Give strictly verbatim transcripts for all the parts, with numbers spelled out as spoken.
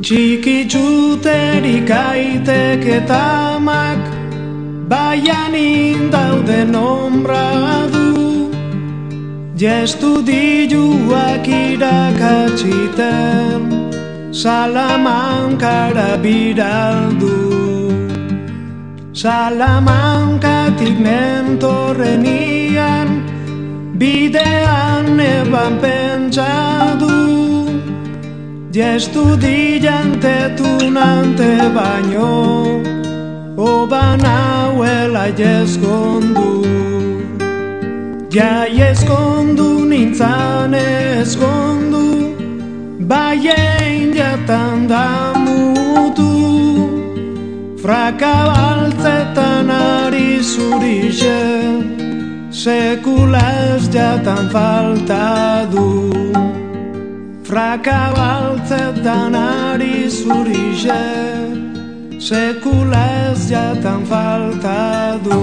Txikitzuterik aitek eta amak, baian indauden ombra du, jestudiluak irakatsiten, Salamankara biraldu. Salamankatik nentorrenian, bidean eban pentsadu, jestudiante tunante baino, oban hauela jeskondu. Ja eskondu nintzan eskondu, baien jatan da mutu, frakabaltzetan ari zurixe, sekula ez jatan falta du. Frakabaltzetan ari zurixe, sekula ez jatan falta du.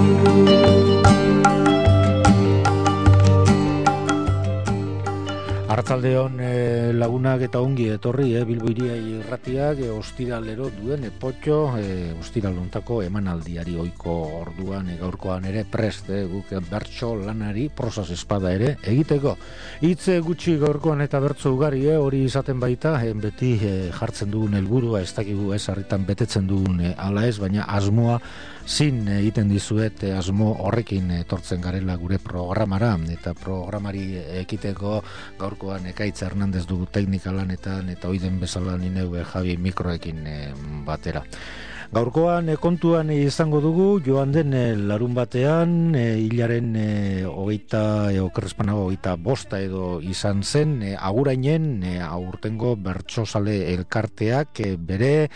Arratzaldeon eh, lagunak eta ongi etorri eh, Bilbo Hiria irratiak eh, ostiralero duen epotxo eh, ostiraluntako emanaldiari ohiko orduan eh, gaurkoan ere prest eh, guk bertso lanari prosas espada ere egiteko. Hitz gutxi gaurkoan eta bertso ugari eh, hori izaten baita eh, beti eh, jartzen dugun helburua ez dakigu ez harritan betetzen dugun eh, ala ez, baina asmoa zin egiten dizuet eh, asmo horrekin etortzen garela gure programara eta programari ekiteko gaurkoan Ekaitz Hernandez dugu teknika lanetan eta oiden bezala nineu Javi mikroekin eh, batera. Gaurkoan eh, kontuan izango dugu joan den eh, larun batean eh, hilaren eh, hogeita eh, okerrezpanago hogeita bosta edo izan zen eh, agurainen eh, aurtengo bertsozale elkarteak eh, bere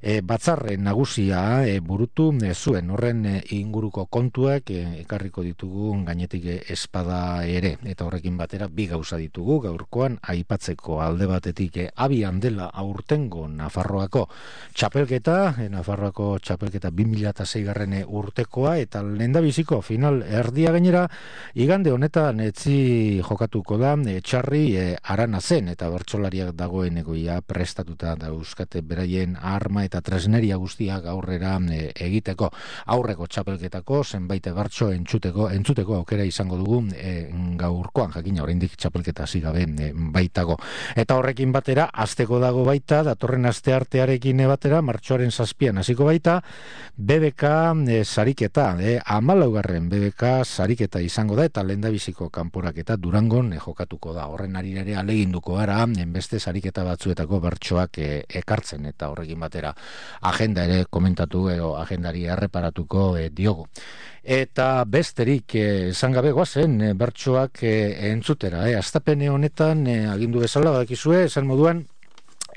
E, batzarre nagusia e, burutu e, zuen horren e, inguruko kontuak e, ekarriko ditugu gainetik e, espada ere eta horrekin batera bi gauza ditugu gaurkoan aipatzeko alde batetik e, abian dela aurtengo Nafarroako txapelketa e, Nafarroako txapelketa bi mila sei garren urtekoa eta lehendabiziko final erdia gainera igande honetan etzi jokatuko da e, txarri e, arana zen eta bertsolariak dagoeneko ja prestatuta dauzkate beraien arma eta tresneria guztiak aurrera e, egiteko aurreko txapelketako zenbait bertso entzuteko entzuteko aukera izango dugu e, gaurkoan jakina oraindik txapelketa hasi gabe e, baitago eta horrekin batera asteko dago baita datorren asteartearekin batera martxoaren zazpian hasiko baita B B K e, sariketa e, hamalaugarren B B K sariketa izango da eta lehendabiziko kanporaketa Durangon e, jokatuko da horren arirere aleginduko gara beste sariketa batzuetako bertsoak e, ekartzen eta horrekin batera agenda ere komentatu edo agendari erreparatuko e, diogu. Eta besterik esan gabe goazen e, bertsoak e, entzutera. E, Astapene honetan e, agindu bezala badakizue esan moduan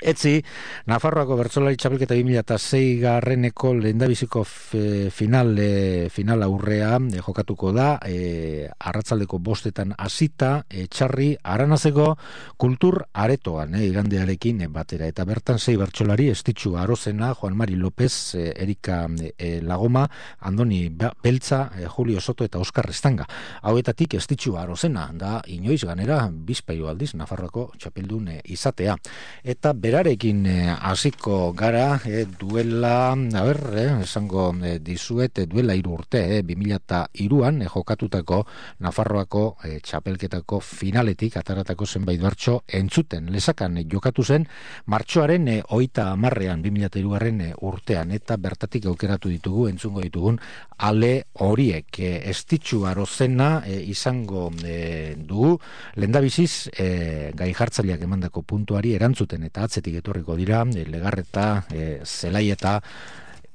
etzi, Nafarroako bertsolari txapelketa bi mila sei garreneko lehendabiziko f, final, e, final aurrea e, jokatuko da e, arratzaldeko bostetan hasita e, txarri aranazeko kultur aretoan e, igandearekin e, batera eta bertan sei bertsolari Estitxu Arozena, Juan Mari López, e, Erika e, Lagoma, Andoni Beltza, e, Julio Soto eta Oskar Estanga. Hauetatik Estitxu Arozena da inoiz ganera bizpahiru aldiz Nafarroako txapeldun e, izatea. Eta berarekin hasiko eh, gara eh, duela, a ber, eh, esango eh, dizuet eh, duela hiru urte, eh, bi mila hiruan eh, jokatutako Nafarroako eh, txapelketako finaletik ataratako zenbait bertso entzuten lesakan eh, jokatu zen martxoaren eh, hogeita hamarrean bi mila hirugarren eh, urtean eta bertatik aukeratu ditugu entzungo ditugun ale horiek eh, Estitxu Arozena eh, izango eh, dugu lehendabiziz eh, gai jartzaileak emandako puntuari erantzuten eta atzetik etorriko dira e, Legarreta, e, Zelaieta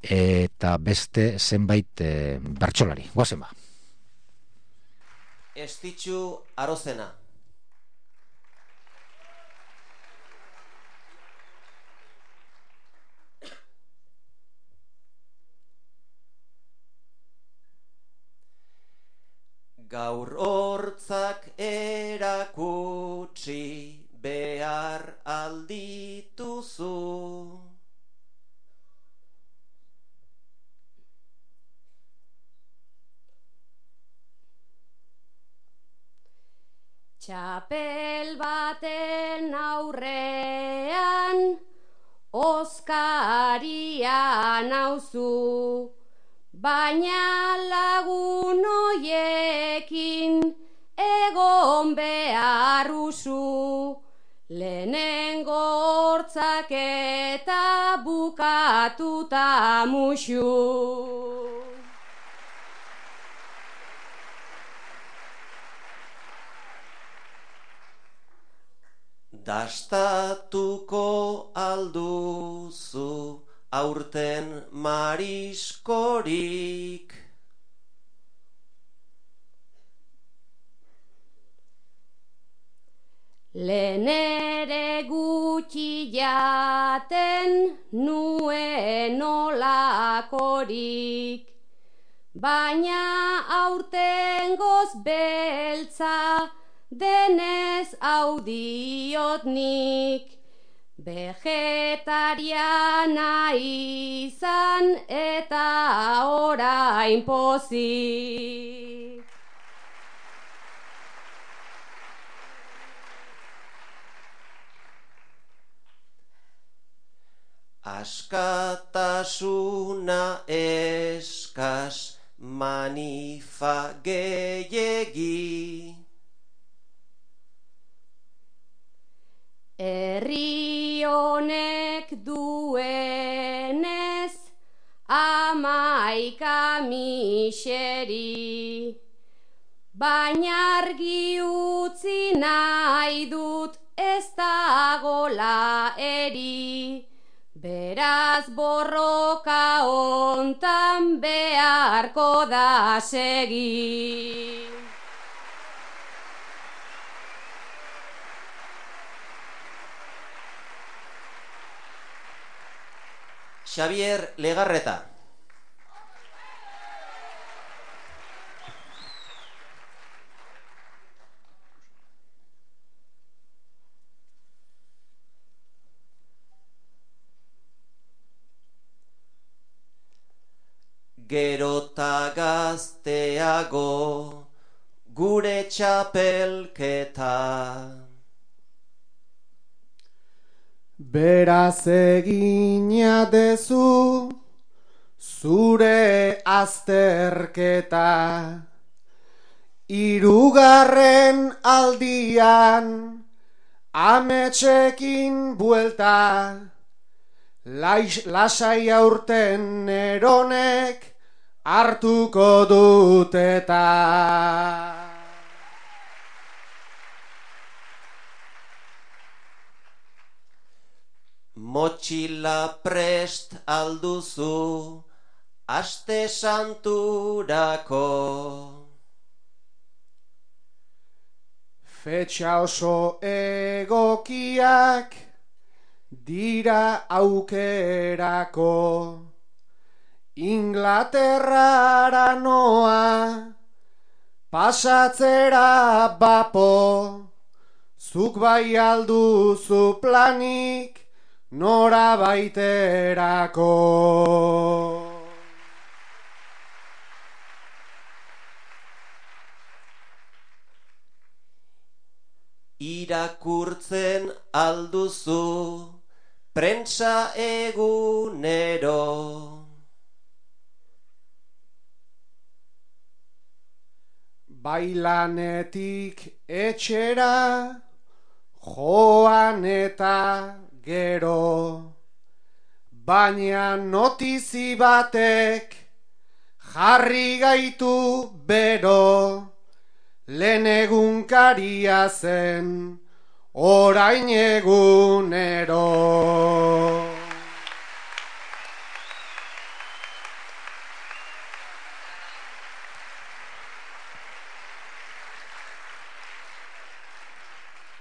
e, eta beste zenbait e, bertsolari. Goazen ba. Estitxu Arozena. Gaur hortzak erakutsi behar aldituzu. Txapel baten aurrean oskaria nauzu, baina lagun hoiekin egon beharruzu, lehenengo hortzak eta bukatuta musu. Dastatuko alduzu aurten mariskorik. Lehen ere gutxi jaten nuen olakorik, baina aurtengoz beltza denez hau diot nik, vegetariana izan eta orain pozik. Askatasuna eskas, manifa gehiegi. Herri honek duenez hamaika miseri, baina argi utzi nahi dut ez dagola eri, beraz borroka hontan beharko da segi. Xavier Legarreta. Gerota gazteago gure txapelketa. Beraz egina dezu zure azterketa, hirugarren aldian ametsekin buelta, Lais, lasai aurten eronek hartuko dut eta. Motxila prest alduzu aste santurako. Fetxa oso egokiak dira aukerako, Inglaterrara noa pasatzera bapo, zuk bai alduzu planik nora baiterako. Irakurtzen alduzu prentsa egunero. Bailanetik etxera joan eta gero, baina notizi batek jarri gaitu bero, lehen egunkaria zen orain egunero.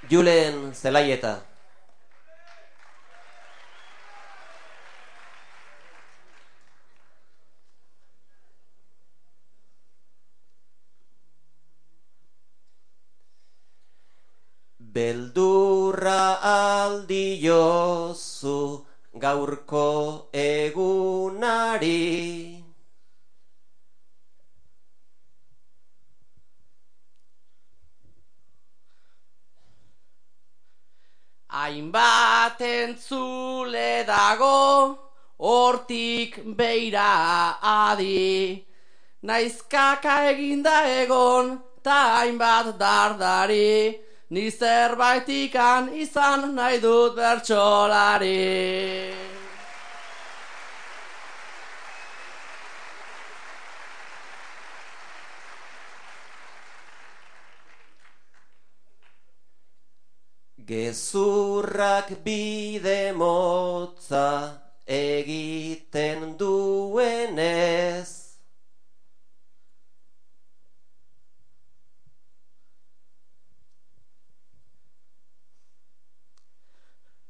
Julen Zelaieta. Beldurra aldiozu gaurko egunari. Hainbat entzule dago, hortik beira adi. Naiz kaka eginda egon, ta hainbat dardari, ni zerbaitikan izan nahi dut bertsolari. Gezurrak bide motza egiten duenez,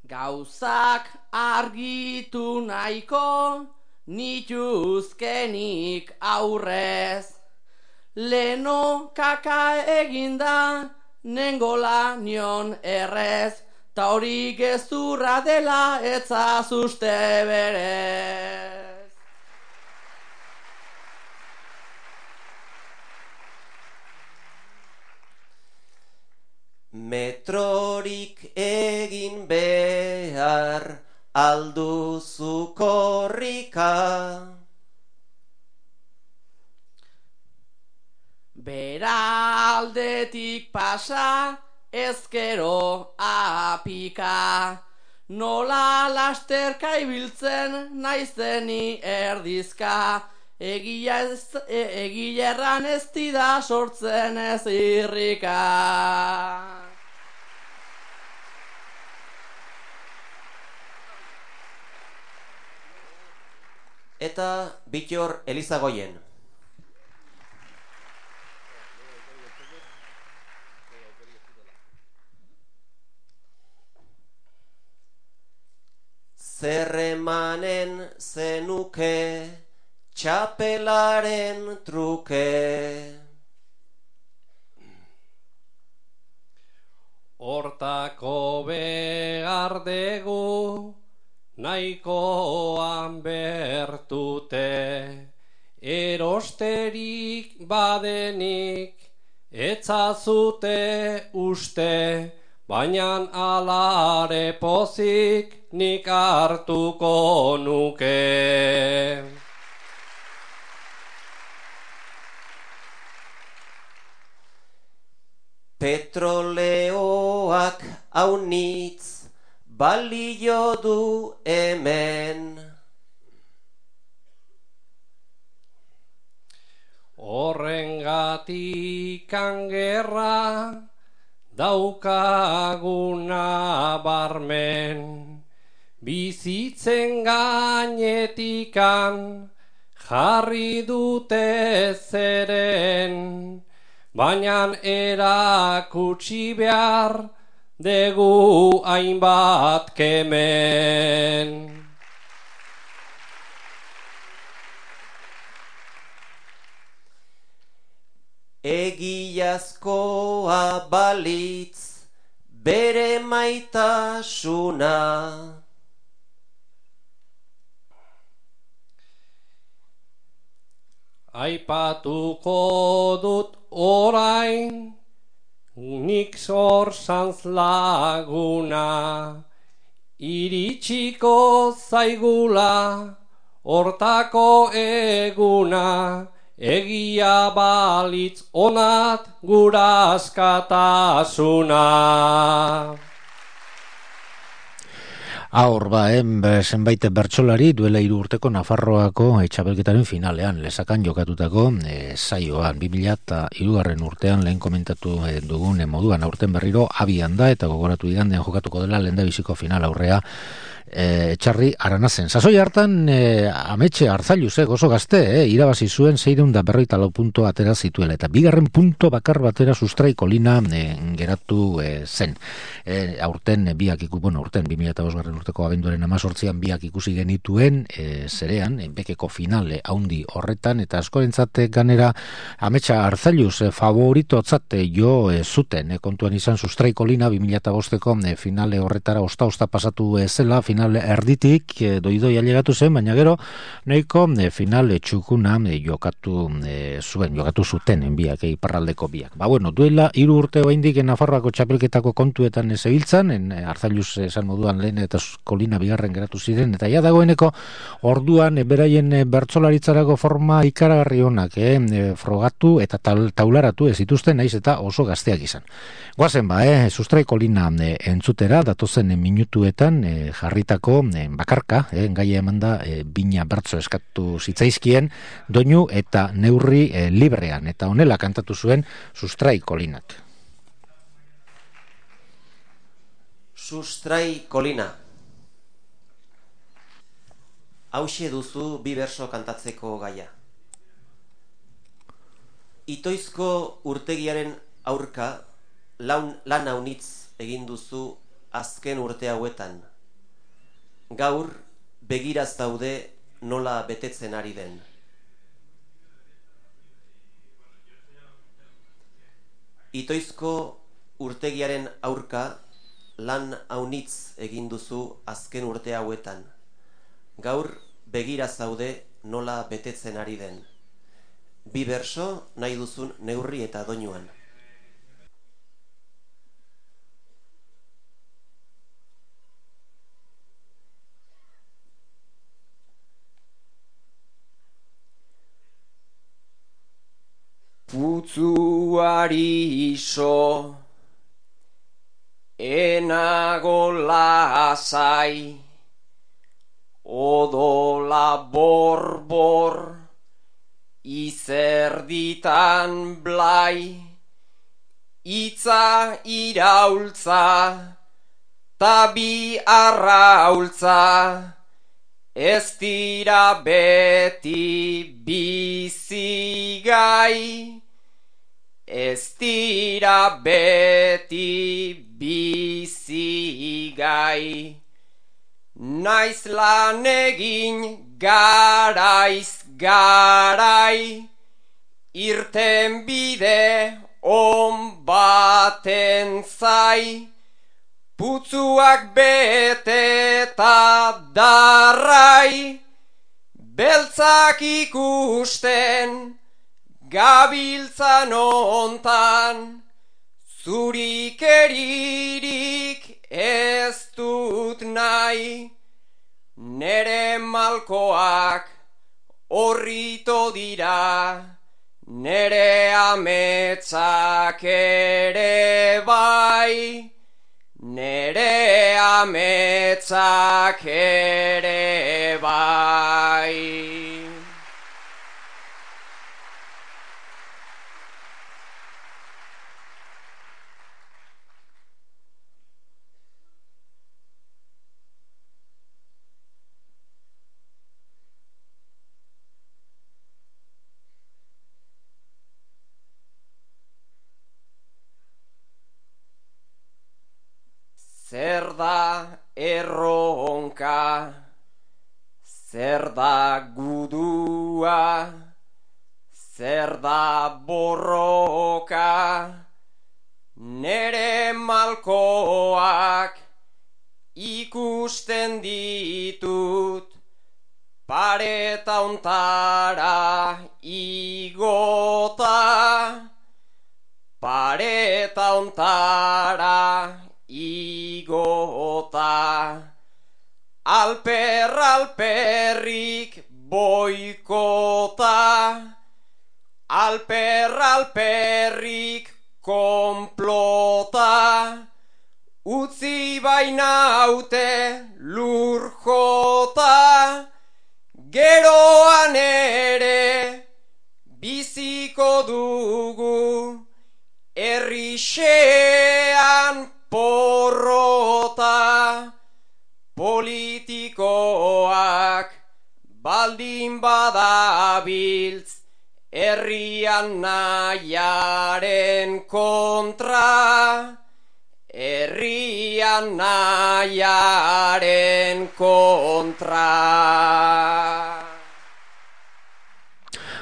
gauzak argitu nahiko nituzkenik aurrez. Leno kaka eginda nengola nion errez, ta hori gezurra dela etzazuste berez. Metrorik egin behar alduzu korrika. Bera aldetik pasa, ezkero apika. Nola lasterka ibiltzen naizeni erdizka. Egia ez, e, egia erran ez dida sortzen ez irrika. Eta Bittor Elizagoien. Zer emanen zenuke txapelaren truke. Hortako behar dugu nahikoan bertute, erosterik badenik etzazute uste, baina alare pozik nik hartuko nuke. Petroleoak aunitz balio du hemen. Horrengatik gerra daukaguna barmen, bizitzen gainetikan jarri dute zeren, baina erakutsi behar dugu hainbat kemen. Egiazkoa balitz bere maitasuna. Aipatuko dut orain nik zorzantz laguna, iritsiko zaigula hortako eguna, egia balitz onat gura askatasuna. Aur ba, em, zenbait bertsolari duela hiru urteko Nafarroako txapelketaren finalean lesakan jokatutako e, saioan bi mila hirugarren urtean lehen komentatu e, dugun e, moduan aurten berriro abian da eta gogoratu igandean jokatuko dela lehendabiziko final aurrea e, Etxarri Aranazen. Sasoi hartan e, ametxe Arzalluz, e, gozo gazte, e, irabazi zuen seiehun eta berrogeita lau punto atera zituela eta bigarren punto bakar batera sustrai kolina e, geratu e, zen. E, aurten e, biak iku, bueno, aurten bi mila bosgarren urteko abenduaren amazortzian biak ikusi genituen e, zerean, bekeko finale haundi horretan, eta askorentzat ganera Ametsa Arzailuz e, favoritotzat jo e, zuten, e, kontuan izan Sustraiko Lina bi mila bosteko e, finale horretara osta-osta pasatu e, zela, finale erditik e, doidoi ailegatu zen, baina gero nahiko e, finale txukuna e, jokatu e, zuen, jokatu zuten en biak, e, iparraldeko biak. Ba bueno, duela hiru urte oraindik Nafarroako txapelketako kontuetan zebiltzan, en Arzailuz esan moduan lehen eta Kolina bigarren geratu ziren, eta ja dagoeneko orduan e, beraien e, bertsolaritzarako forma ikaragarri onak e, e, frogatu eta tal, taularatu ez dituzten, naiz eta oso gazteak izan. Goazen ba, e, Sustraiko Lina e, entzutera, datozen e, minutuetan e, jarritako e, bakarka, e, gaia emanda e, bina bertso eskatu zitzaizkien, doinu eta neurri e, librean, eta honela kantatu zuen Sustraiko Linak. Sustraiko Lina. Hauxe duzu bi berso kantatzeko gaia. Itoizko urtegiaren aurka laun, lan haunitz egin duzu azken urte hauetan. Gaur begiraz daude nola betetzen ari den. Itoizko urtegiaren aurka lan haunitz egin duzu azken urte hauetan. Gaur begiraz daude nola betetzen ari den. Bi berso nahi duzun neurri eta doinuan. Putzuari iso, enago lasai, odola borbor, izerditan blai, itza iraultza, tabi arraultza, ez dira beti bizigai, ez dira beti bizigai. Naiz lan egin garaiz garai, irten bide on baten zai, putzuak bete eta darrai, beltzak ikusten gabiltzan ontan, zurik eririk ez dut nahi, nere malkoak horrito dira, nere ametsak ere bai, nere ametsak ere bai. Zer da erronka, zer da gudua, zer da borroka, nere malkoak ikusten ditut, pareta ontara igota, pareta ontara igota, alper alperrik boikota, alper alperrik konplota, utzi bainaute lur jota, geroan ere biziko dugu herrixean porrota, politikoak baldin badabiltz herrian nahiaren kontra, herrian nahiaren kontra.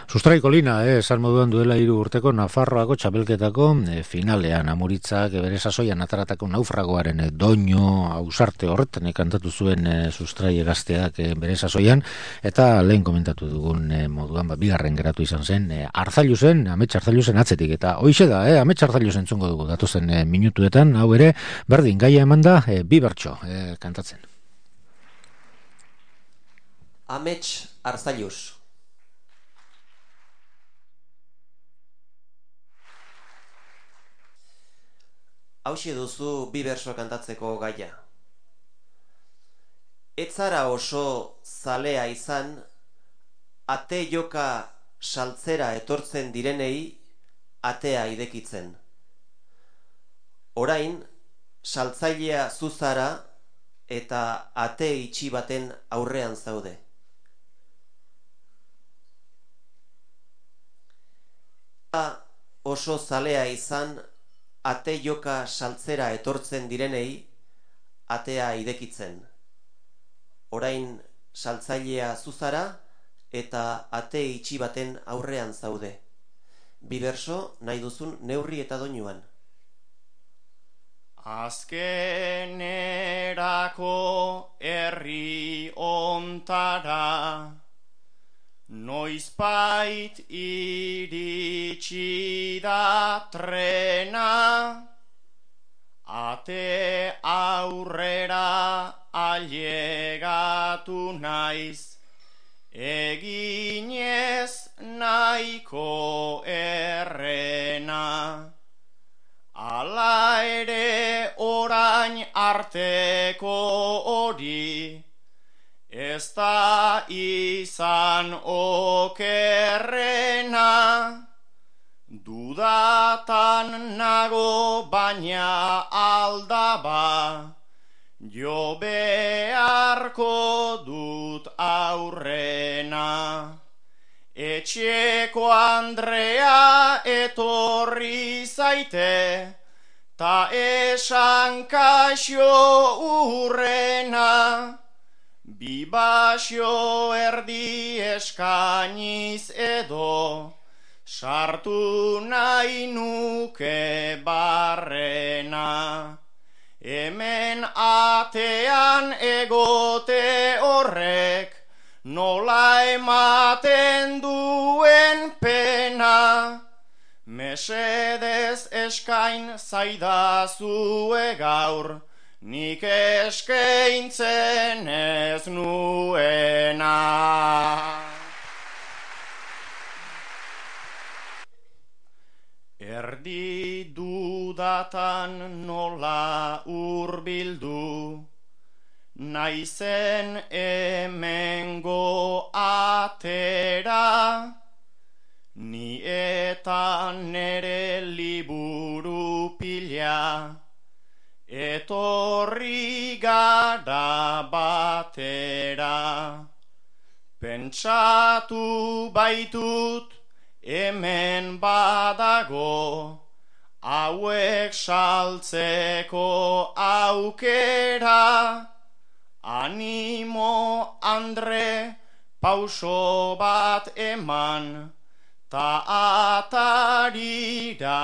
Sustraiko lina, eh, esan moduan duela hiru urteko Nafarroako txapelketako eh, finalean amuritzak eh, bere sasoian ataratako naufragoaren eh, doino ausarte horretan eh, kantatu zuen eh, sustrai gazteak eh, bere sasoian, eta lehen komentatu dugun eh, moduan, ba, bigarren geratu izan zen, eh, Arzailuzen, Amets Arzailuzen atzetik, eta hoixe da, eh, Amets Arzailuzen entzungo dugu datozen eh, minutuetan, hau ere, berdin gaia emanda, eh, bi bertso eh, kantatzen. Amets Arzailuz. Hauxe duzu bi berso kantatzeko gaia. Ez zara oso zalea izan, ate joka saltzera etortzen direnei atea idekitzen. Orain, saltzailea zuzara eta ate itxi baten aurrean zaude. Oso zalea izan, ate joka saltzera etortzen direnei atea idekitzen. Orain saltzailea zuzara eta ate itxi baten aurrean zaude. Bi berso nahi duzun neurri eta doinuan. Azkenerako herri ontara noizbait iritsi da trena, ate aurrera ailegatu naiz, eginez nahiko errena. Hala ere orain arteko hori, ez da izan okerrena. Dudatan nago baina aldaba, jo beharko dut aurrena. Etxeko Andrea etorri zaite, ta esan kaixo urrena. Bi basio erdi eskainiz edo, sartu nahi nuke barrena. Hemen atean egote horrek, nola ematen duen pena. Mesedez eskain zaidazue gaur, nik eskaintzen ez nuena. Erdi dudatan nola hurbildu, naizen hemengo atera, ni eta nere liburu pila, etorri gara batera. Pentsatu baitut hemen badago, hauek saltzeko aukera. Animo Andre, pauso bat eman, ta atarira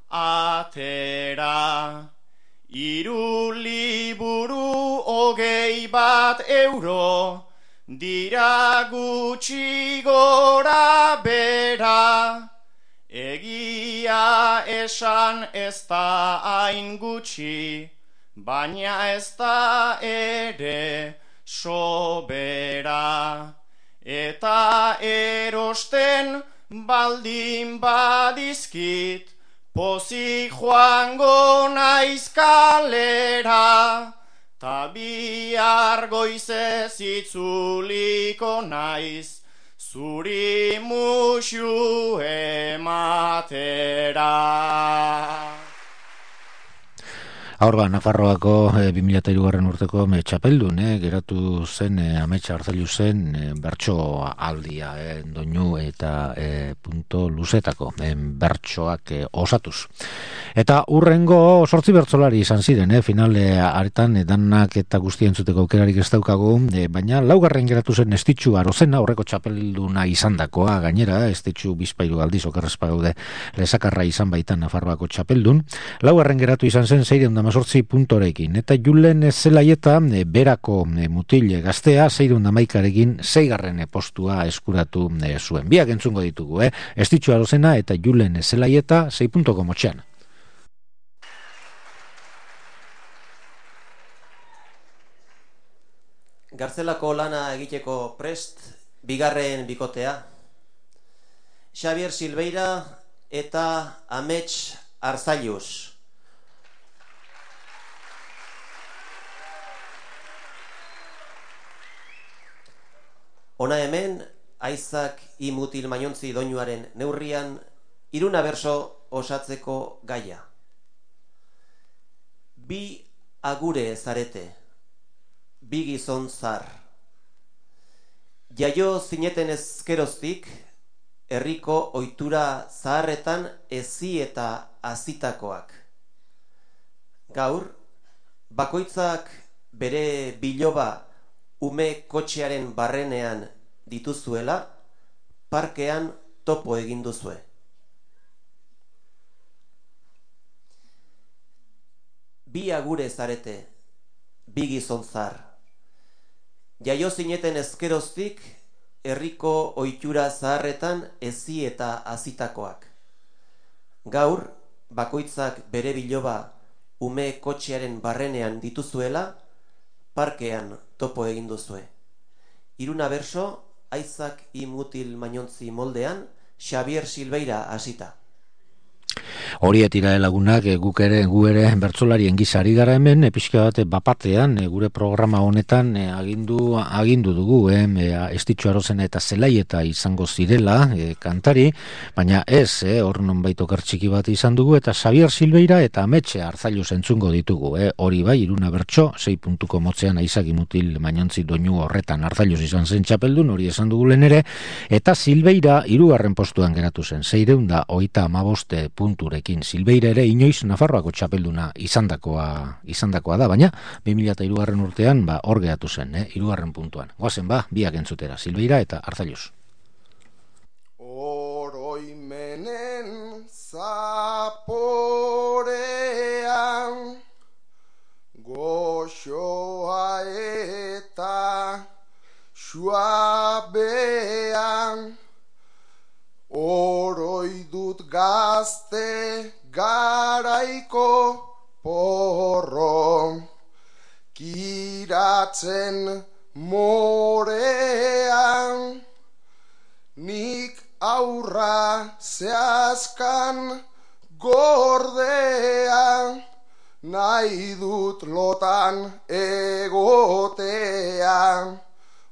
atera. Hiru liburu hogei bat euro, dira gutxi gora bera. Egia esan ez da hain gutxi, baina ez da ere sobera. Eta erosten baldin badizkit, pozik joango naiz kalera. Ta bihar goizez itzuliko naiz, zuri musu ematera. Aurba, Nafarroako e, bi mila hirugarren urteko me txapeldun, e, geratu zen e, Ametsa Arzailu zen e, bertso aldia, e, doinu eta e, punto luzetako e, bertsoak e, osatuz. Eta urrengo sortzi bertsolari izan ziren, e, finale aretan e, danak eta guzti entzuteko aukerarik ez daukagu, e, baina laugarren geratu zen Estitxu Arozena, horreko txapelduna izandakoa gainera, Estitxu bizpairu aldiz okerrezpa gaude lesakarra izan baitan Nafarroako txapeldun. Laugarren geratu izan zen seiehun eta hemezortzi puntorekin, eta Julen Zelaieta e, berako e, mutil gaztea seiehun eta hamaikarekin seigarren postua eskuratu e, zuen. Biak entzungo ditugu, eh? Estitxu Arozena eta Julen Zelaieta sei puntuko motxean. Gartzelako lana egiteko prest, bigarren bikotea. Xabier Silveira eta Amets Arzailuz. Ona hemen, Aizak I Mutil Mainontzi doinuaren neurrian, iruna berso osatzeko gaia. Bi agure zarete, bi gizon zar. Jaio zineten ezkeroztik, herriko ohitura zaharretan ezi eta azitakoak. Gaur, bakoitzak bere biloba ume kotxearen barrenean dituzuela, parkean topo egin duzue. Bi agure zarete, bi gizon zar. Jaio zineten ezkeroztik, herriko ohitura zaharretan ezi eta azitakoak. Gaur, bakoitzak bere biloba ume kotxearen barrenean dituzuela, parkean topo egin duzue. Iruna berso, Aizak I Mutil Mainontzi moldean, Xabier Silveira hasita. Horiet ira lagunak, e, guk ere, gu ere bertsolarien gizari gara hemen, e, pixka bat bapatean, e, gure programa honetan e, agindu, agindu dugu, e, Estitxu Arozena eta Zelaieta izango zirela e, kantari, baina ez, e, hor nonbait oker txiki bat izan dugu, eta Xabier Silveira eta Ametxe Arzailuz entzungo ditugu, e, hori bai, iruna bertso, sei puntuko motzean Aizak I Mutil Mainontzi doinu horretan Arzailuz izan zen txapeldun, hori esan dugu lehen ere, eta Silveira hirugarren postuan geratu zen, seiehun eta hogeita hamabost punturekin. Silveira ere inoiz Nafarroako txapelduna izandakoa izandakoa da, baina bi mila hirugarren urtean ba hor geratu zen, eh, hirugarren puntuan. Goazen ba, biak entzutera, Silveira eta Arzailuz. Oroimenen zaporean goxoa eta suabean oroi dut gazte garaiko porro, kiratzen morean, nik aurra zehazkan gordea, nahi dut lotan egotea,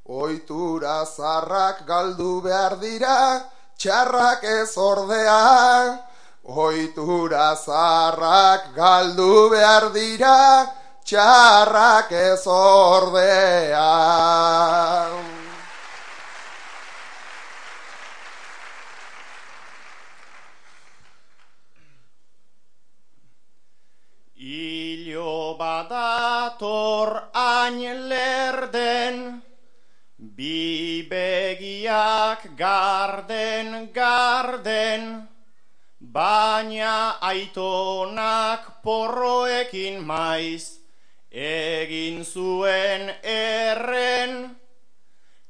ohitura zarrak galdu behar dira, txarrak ez ordea, ohitura zarrak galdu behar dira, txarrak ez ordea. Ilo badator hain lerden, bi begiak garden, garden, baina aitonak porroekin maiz egin zuen erren,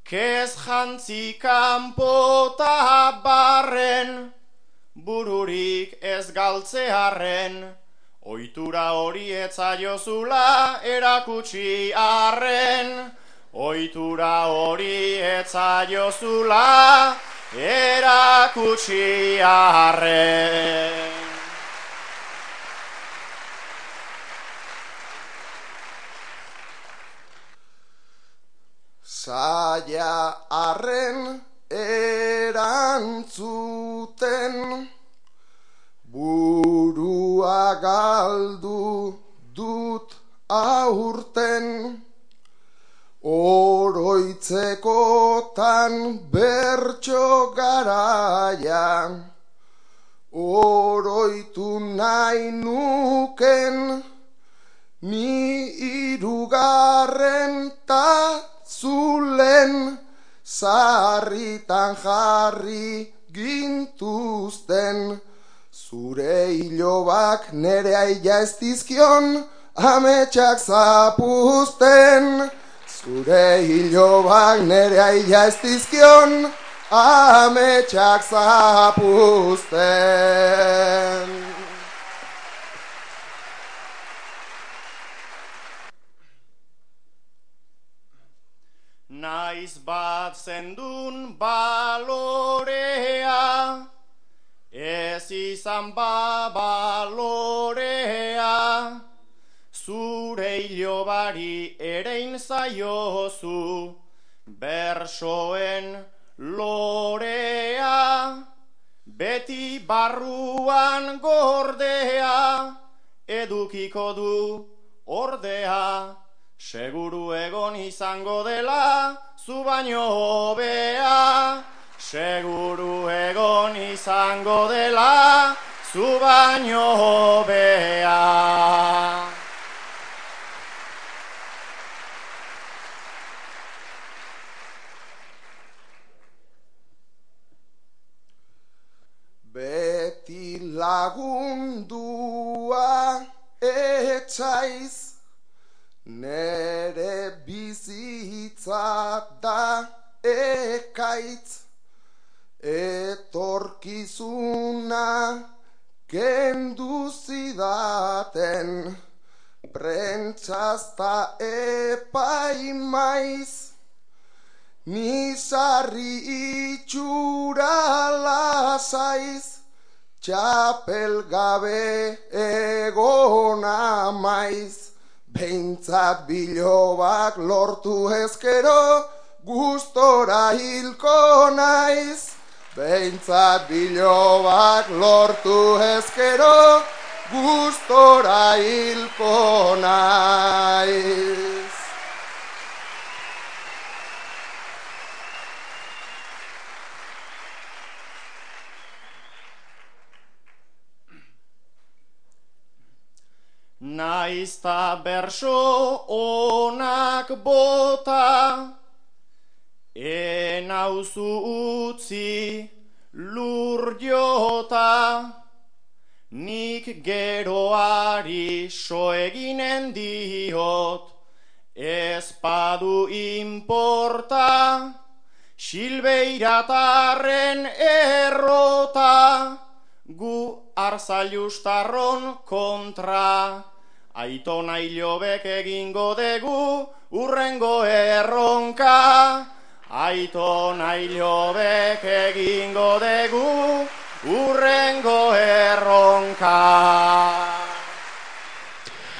kez jantzi kanpota barren, bururik ez galtzearren, ohitura hori etzaiozula erakutsi arren, ohitura hori etzaiozula erakutsi arren. Zaila arren erantzuten, burua galdu dut aurten, oroitzekotan bertso garaia, oroitu nahi nuken, ni irugarren ta zulen, sarritan jarri gintuzten, zure hilobak nere aia ez dizkion, ametsak zapuzten. Zure hilobak nere aia ez dizkion, ametsak zapuzten. Naiz bat zendun balorea, ez izan ba balorea, zure hilobari erein zaiozu, bersoen lorea, beti barruan gordea, edukiko du ordea, seguru egon izango dela, zu baino hobea, seguru egon izango dela, zu baino hobea. Beti lagundua etxaiz, nere bizitza da ekaitz, etorkizuna kendu zidaten, prentsazta epaimaiz, ni sarri itxura lasaiz, txapel gabe egona maiz. Behintzat bilobak lortu ezkero, gustora hilko naiz. Behintzat bilobak lortu ezkero, gustora hilko naiz. Naizta berso onak bota, enauzu utzi lur jota, nik geroari so eginen diot, ez padu inporta, Silbeiratarren errota, gu arzailustarron kontra. Aitona hilobek egingo degu urrengo erronka. Aitona hilobek egingo degu urrengo erronka.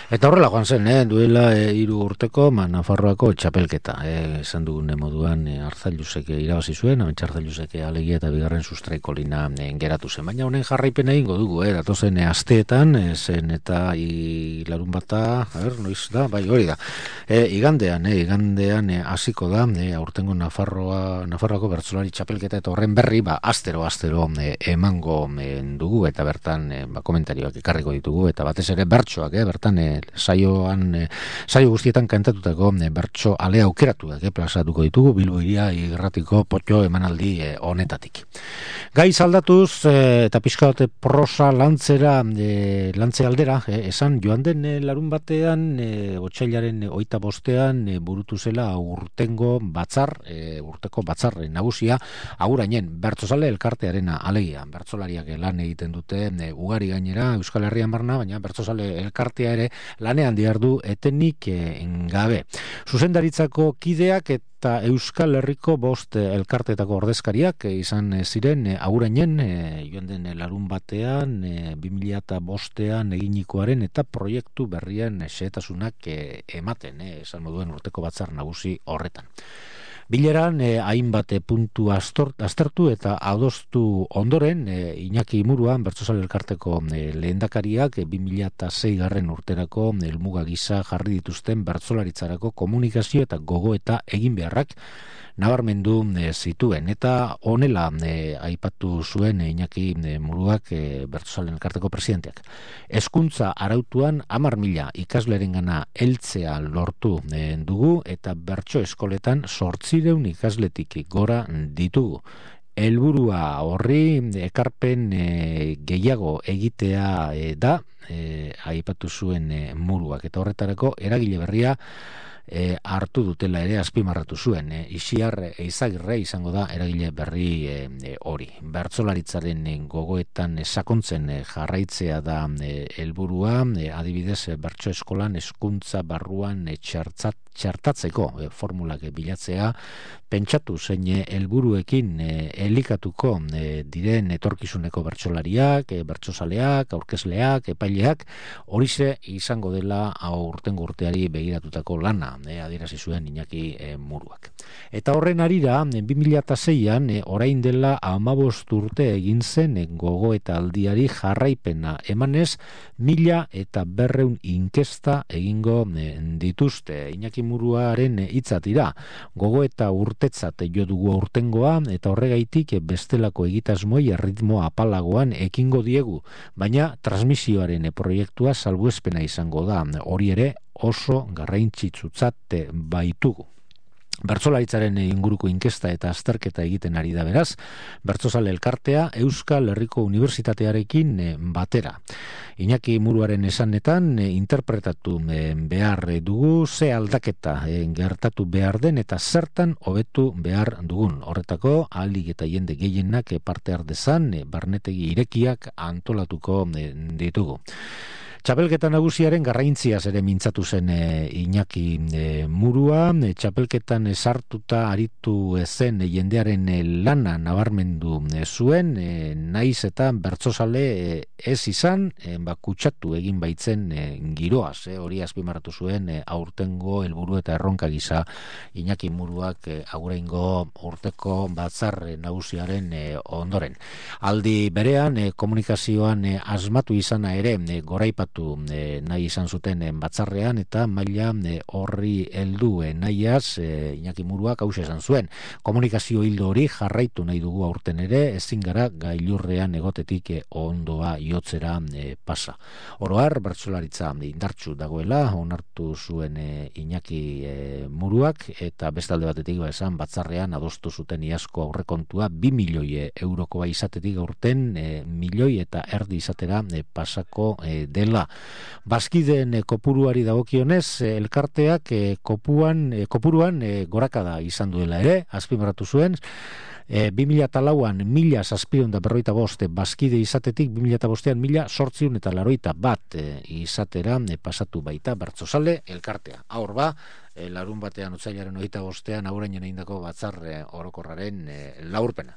Eta horrela joan zen, eh? duela e, hiru urteko ma, Nafarroako txapelketa. Eh, esan dugun moduan e, Arzailusek irabazi zuen, Ametsa Arzailusek alegia eta bigarren sustraiko lina e, geratu zen. Baina honen jarraipen egingo dugu, eh? datozen e, asteetan, e, zen eta i, larun bata, a ber, noiz da, bai hori da. E, igandean, e, igandean hasiko e, da, e, aurtengo Nafarroa, Nafarroako bertsolari txapelketa eta horren berri, ba, astero, astero e, emango e, dugu, eta bertan e, ba, komentarioak ekarriko ditugu, eta batez ere bertsoak, eh? bertan e, saioan e, saio guztietan kantatutako e, bertso ale aukeratuak e, plazatuko ditugu Bilbo Hiria irratiko potxo emanaldi e, honetatik. Gai aldatuz e, eta pixka bate prosa lantzera e, lantze aldera e, esan joan den e, larun batean e, otsailaren hogeita bostean e, burutu zela urtengo batzar e, urteko batzar nagusia agurainen bertsozale elkartearena alegia bertsolariak lan egiten dute e, ugari gainera Euskal Herrian barna, baina bertsozale elkartea ere lanean diardu etenik e, gabe. Zuzendaritzako kideak eta Euskal Herriko bost elkarteetako ordezkariak e, izan e, ziren e, agurainen e, joan den e, larun batean e, bi mila bostean eginikoaren eta proiektu berrien xehetasunak e, ematen, e, esan moduen urteko batzar nagusi horretan. Bileran e, hainbat puntu astort, aztertu eta adostu ondoren e, Iñaki Muruan Bertsozale Elkarteko e, lehendakariak e, bi mila sei garren urterako helmuga gisa jarri dituzten bertsolaritzarako komunikazio eta gogo eta egin beharrak nabarmendu e, zituen eta honela e, aipatu zuen e, Iñaki e, Muruak e, Bertsozale Elkarteko presidenteak. Hezkuntza arautuan hamar mila ikaslerengana heltzea lortu e, dugu eta bertso eskoletan zortziehun ikasletik gora ditugu. Helburua horri ekarpen e, gehiago egitea e, da e, aipatu zuen e, Muruak eta horretarako eragile berria E, hartu dutela ere azpimarratu zuen. E, Ixiar Eizagirre izango da eragile berri e, e, hori. Bertsolaritzaren e, gogoetan e, sakontzen e, jarraitzea da helburua, e, adibidez e, bertso eskolan hezkuntza barruan e, txartzat, txartatzeko e, formulak e, bilatzea, pentsatu zein helburuekin e, elikatuko e, diren etorkizuneko bertsolariak, e, bertsozaleak, aurkezleak, epaileak, horixe izango dela aurtengo urteari begiratutako lana. E, adierazi zuen Iñaki e, Muruak. Eta horren arira, bi mila seian, e, orain dela hamabost urte egin zen e, gogo eta aldiari jarraipena emanez, mila eta berreun inkesta egingo e, dituzte. Iñaki Muruaren hitza dira, gogo eta urtetzat jo dugu aurtengoa, eta horregaitik e, bestelako egitasmoi erritmo apalagoan ekingo diegu, baina transmisioaren e, proiektua salbuespena izango da, hori ere oso garrantzitsutzat baitugu. Bertsolaritzaren inguruko inkesta eta azterketa egiten ari da beraz, Bertsozale Elkartea Euskal Herriko Unibertsitatearekin batera. Iñaki Muruaren esanetan interpretatu behar dugu ze aldaketa gertatu behar den eta zertan hobetu behar dugun. Horretako ahalik eta jende gehienak parte har dezan barnetegi irekiak antolatuko ditugu. Txapelketa nagusiaren garrantziaz ere mintzatu zen e, Iñaki e, Murua, e, txapelketan sartuta aritu zen e, jendearen e, lana nabarmendu e, zuen, e, naiz eta bertsozale e, ez izan, e, ba, kutsatu egin baitzen e, giroaz, e, hori azpimarratu zuen e, aurtengo helburu eta erronka gisa Iñaki Muruak e, aurrengo urteko batzar e, nagusiaren e, ondoren. Aldi berean, e, komunikazioan e, asmatu izana ere e, goraipat E, nahi izan zuten e, batzarrean eta maila e, horri heldu e, nahiaz e, Iñaki Muruak hauxe esan zuen. Komunikazio hildo hori jarraitu nahi dugu aurten ere, ezin gara gailurrean egotetik e, ondoa jotzera e, pasa. Oroar, bertsolaritza indartsu dagoela, onartu zuen e, Iñaki e, Muruak eta bestalde batetik ba esan batzarrean adostu zuten iazko aurrekontua bi milioi eurokoa izatetik aurten e, milioi eta erdi izatera e, pasako e, dela. Bazkideen e, kopuruari dagokionez, e, elkarteak e, kopuan, e, kopuruan e, gorakada izan duela ere, azpimarratu zuen, e, bi mila lauan mila zazpiehun eta berrogeita bost bazkide izatetik, bi mila bostean mila zortziehun eta laurogeita bat e, izatera e, pasatu baita Bertsozale Elkartea. Aur ba, e, larun batean otsailaren hogeita bostean aurreinen egindako batzar e, orokorraren e, laurpena.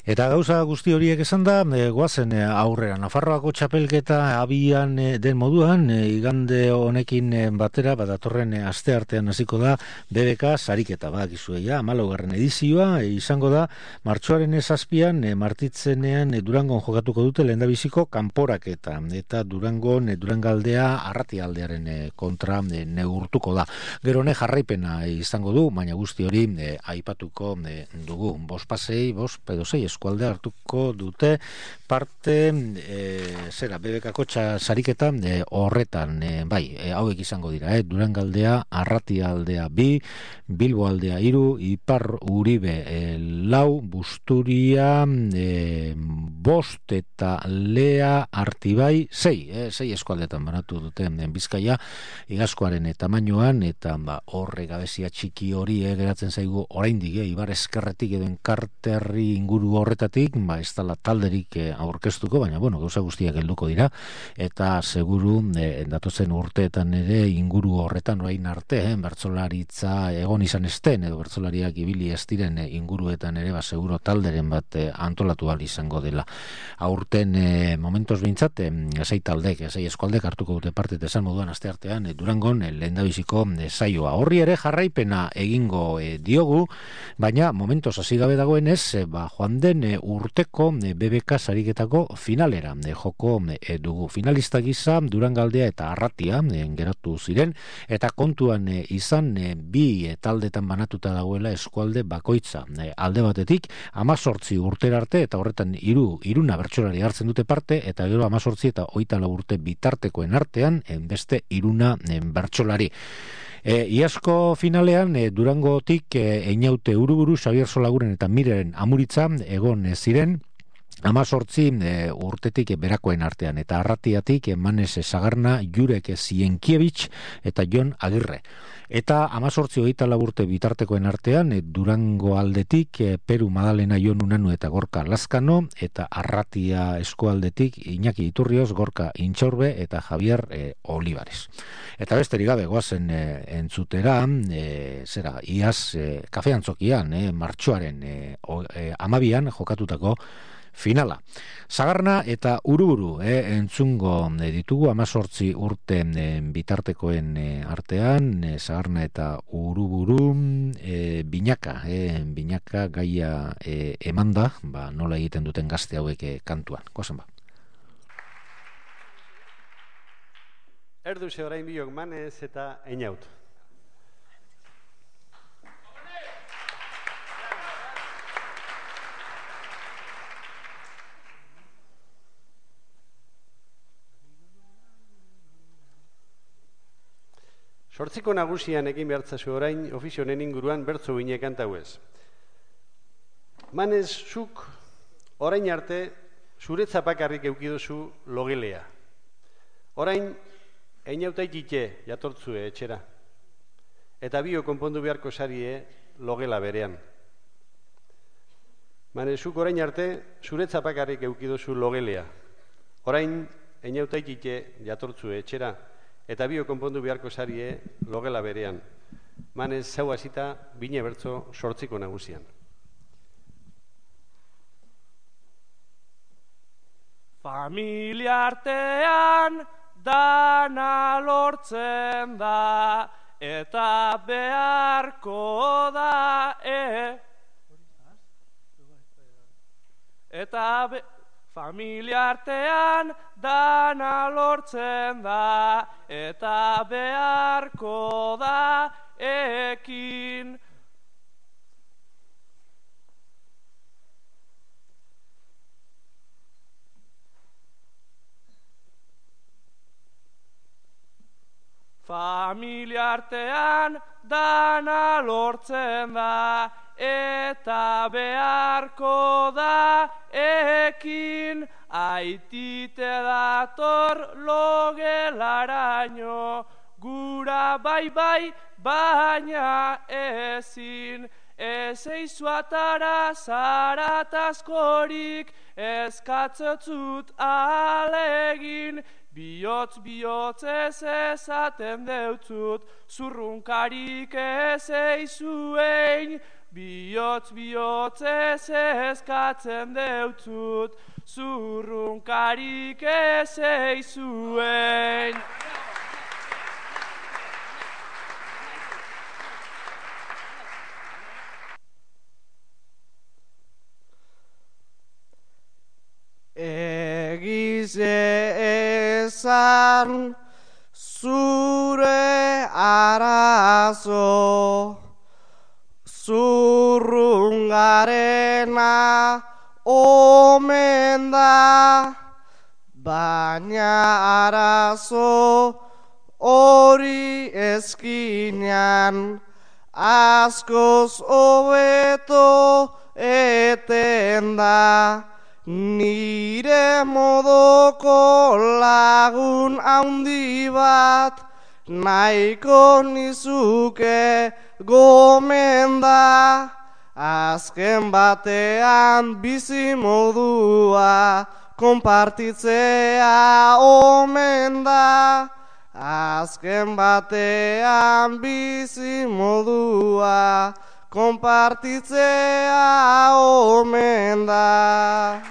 Eta gauza guzti horiek esan da, e, goazen e, aurrera. Nafarroako txapelketa abian e, den moduan, e, igande honekin e, batera, badatorren e, aste artean hasiko da B B K sariketa, badakizu ja, hamalaugarren edizioa, e, izango da, martxoaren zazpian, e, martitzenean e, Durangon jokatuko dute lehendabiziko kanporaketa, eta Durangon, e, Durangaldea arratialdearen e, kontra e, neurtuko da. Gero ne jarraipena e, izango du, baina guzti hori e, aipatuko e, dugu. Bos pasei, bos pedosei eskualde hartuko dute parte e, zera, B B K-ko sariketa e, horretan, e, bai, e, hauek izango dira, e, Durangaldea, Arratialdea bi, Bilbo aldea hiru, Ipar Uribe e, lau, Busturia e, bost eta Lea Artibai sei, e, sei eskualdetan banatu dute e, Bizkaia, igazkoaren e, tamainoan, eta ba, horre gabezia txiki hori e, geratzen zaigu oraindik, e, Ibar Eskerretik edo Enkarterri inguru horretatik, ba, ez dala talderik e, aurkeztuko, baina, bueno, gauza guztiak helduko dira, eta seguru e, datozen urteetan ere inguru horretan orain arte, eh, bertsolaritza egon izan esten, edo bertsolariak ibili ez diren e, inguruetan ere, ba, seguro talderen bat e, antolatu ahal izango dela. Aurten e, momentos behintzat, e, sei taldek, sei eskualdek hartuko dute parte esan moduan aste artean, e, Durangon e, lehendabiziko e, saioa. Horri ere jarraipena egingo e, diogu, baina momentos hasi gabe dagoenez, e, ba, joan den e, urteko e, B B K sariketako finalera e, joko e, dugu. Finalista gisa Durangaldea eta Arratia e, geratu ziren, eta kontuan e, izan e, bi e, taldetan banatuta dagoela eskualde bakoitza. E, alde batetik, amazortzi urtera arte, eta horretan iru, iruna bertsolari hartzen dute parte, eta gero amazortzi eta hogeita lau urte bitartekoen artean, e, beste iruna e, bertsolari. E, iazko finalean e, Durangotik e, Einaute Uruburu, Xabier Solaguren eta Mireren Amuritza egon e, ziren, amazortzi e, urtetik e, berakoen artean, eta Arratiatik Manes Sagarna, Jurek Zienkiewicz eta Jon Agirre. Eta amazortzi hogeita lau urte bitartekoen artean, e, Durango aldetik e, Peru Madalena, Jon Unanu eta Gorka Lazkano, eta Arratia eskualdetik Iñaki Iturrioz, Gorka Intxaurbe eta Javier e, Olivares. Eta besterik gabe goazen e, entzutera, e, zera, iaz e, kafeantzokian, e, martxoaren e, o, e, amabian jokatutako finala. Sagarna eta Uruburu eh, entzungo eh, ditugu amazortzi urte eh, bitartekoen eh, artean, eh, Sagarna eta Uruburu eh, binaka, eh, binaka gaia eh, emanda, ba, nola egiten duten gazte hauek eh, kantuan. Gozen ba. Erduze orain biok Manez eta Einaut. Sortziko nagusian egin behartzazu orain ofizionen inguruan bertzo bine kantau ez. Manez, zuk orain arte zuretza bakarrik eukiduzu logelea. Orain, Einautaikite jatortzue etxera. Eta bio konpondu beharko sarie logela berean. Manez, zuk orain arte zuretza bakarrik eukiduzu logelea. Orain, Einautaikite jatortzue etxera. Eta bio konpondu beharko sarie logela berean. Manez, zau hasita bine bertzo sortziko nagusian. Familia artean dana lortzen da, eta beharko da, e. Eta be... Familia artean dana lortzen da, eta beharko da ekin. Familia artean dana lortzen da, eta beharko da ekin. Aitite dator logelaraino, gura bai bai baina ezin. Ez eizuatara zaratazkorik, eskatzotzut alegin. Bihotz bihotz ez ezaten deutzut, zurrunkarik ez eizuein. Bihotz bihotz ez eskatzen deutzut, zurrunkarik ez eizuein. Egize ezan zure arazo, zurrungarena omen da, baina arazo hori ezkinean askoz hobeto eten da. Nire modoko lagun handi bat nahiko nizuke gomenda. azken batean bizi modua konpartitzea omen da. Azken batean bizi modua konpartitzea omen da.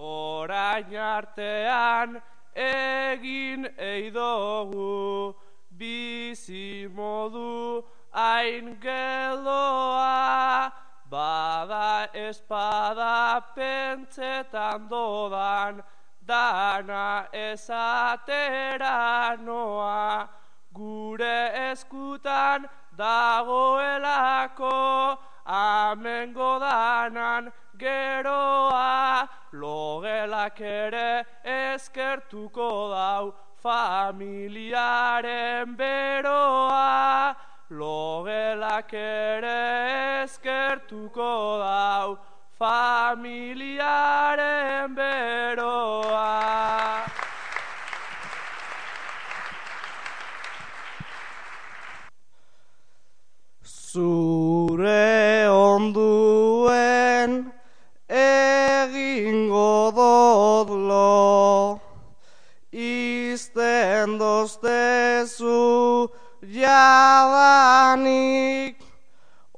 Orain artean egin eidogu bizi modu hain geldoa, bada espada pentsetan dodan, dana esatera noa, gure eskutan dagoelako, amengo danan geroa, logelak ere eskertuko dau, familiaren beroa, logelak ere eskertuko dau, familiaren beroa. Zure onduen egingo dodlo, izten doztezu jadanik,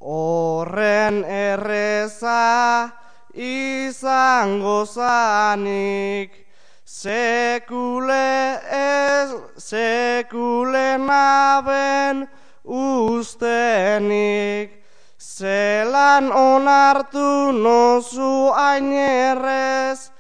horren erreza izango zanik, sekule ez sekulen aben ustenik, zelan onartu nozu ainerrez,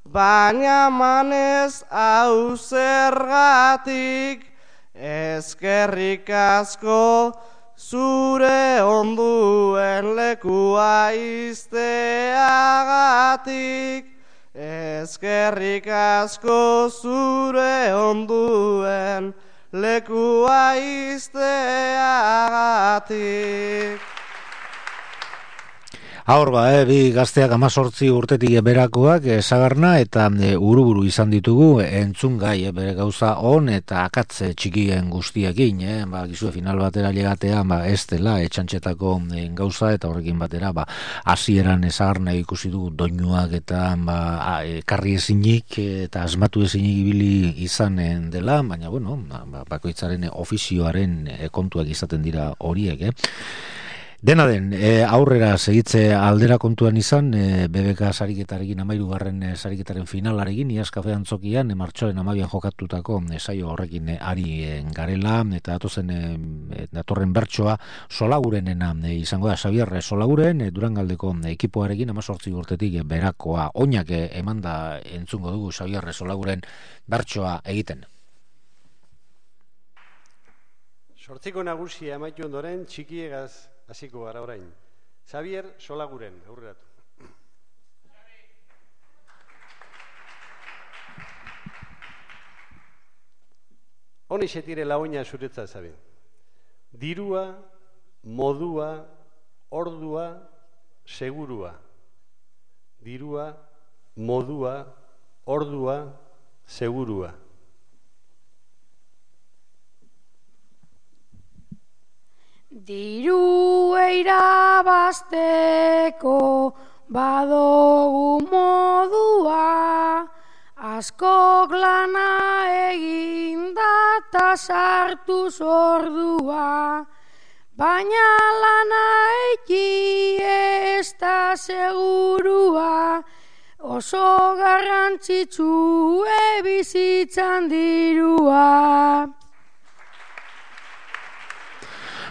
baina manez hau zergatik, eskerrik asko zure onduen lekua izteagatik, eskerrik asko zure onduen lekua izteagatik. Aur ba, eh, bi gazteak amazortzi urtetik berakoak esagarna eta e, uruburu izan ditugu entzun gai, e, bere gauza on eta akatze txikien guztiekin, e, ba, gizue final batera llegatea, ba, ez dela, etxantxetako e, gauza eta horrekin batera, ba, hasieran esagarna ikusi dugu doinuak eta ba, a, e, karri ezinik eta asmatu ezinik ibili izanen dela, baina, bueno, ba, bakoitzaren ofizioaren e, kontuak izaten dira horiek, eh? Dena den, e, aurrera segitze aldera kontuan izan, e, B B K sariketarekin amairugarren e, sariketaren finalarekin, Iaz Kafe Antzokian, e, martxoaren amabian jokatutako e, saio horrekin e, ari e, garela, eta datozen e, datorren bertsoa Solagurenena e, izango da, Xabier Solaguren, e, Durangaldeko e, ekipoarekin amazortzi urtetik e, berakoa oinak e, emanda entzungo dugu Xabier Solaguren bertsoa egiten. Sortziko nagusia amaitu ondoren txikiegaz hasiko gara orain. Xabier Solaguren, aurreratu. Honi setire laoina zuretza zabe. Dirua, modua, ordua, segurua. Dirua, modua, ordua, segurua. Diru irabazteko badogu modua, askok lana egin data sartu zordua, baina lana eki ez da segurua, oso garrantzitsu bizitzan dirua.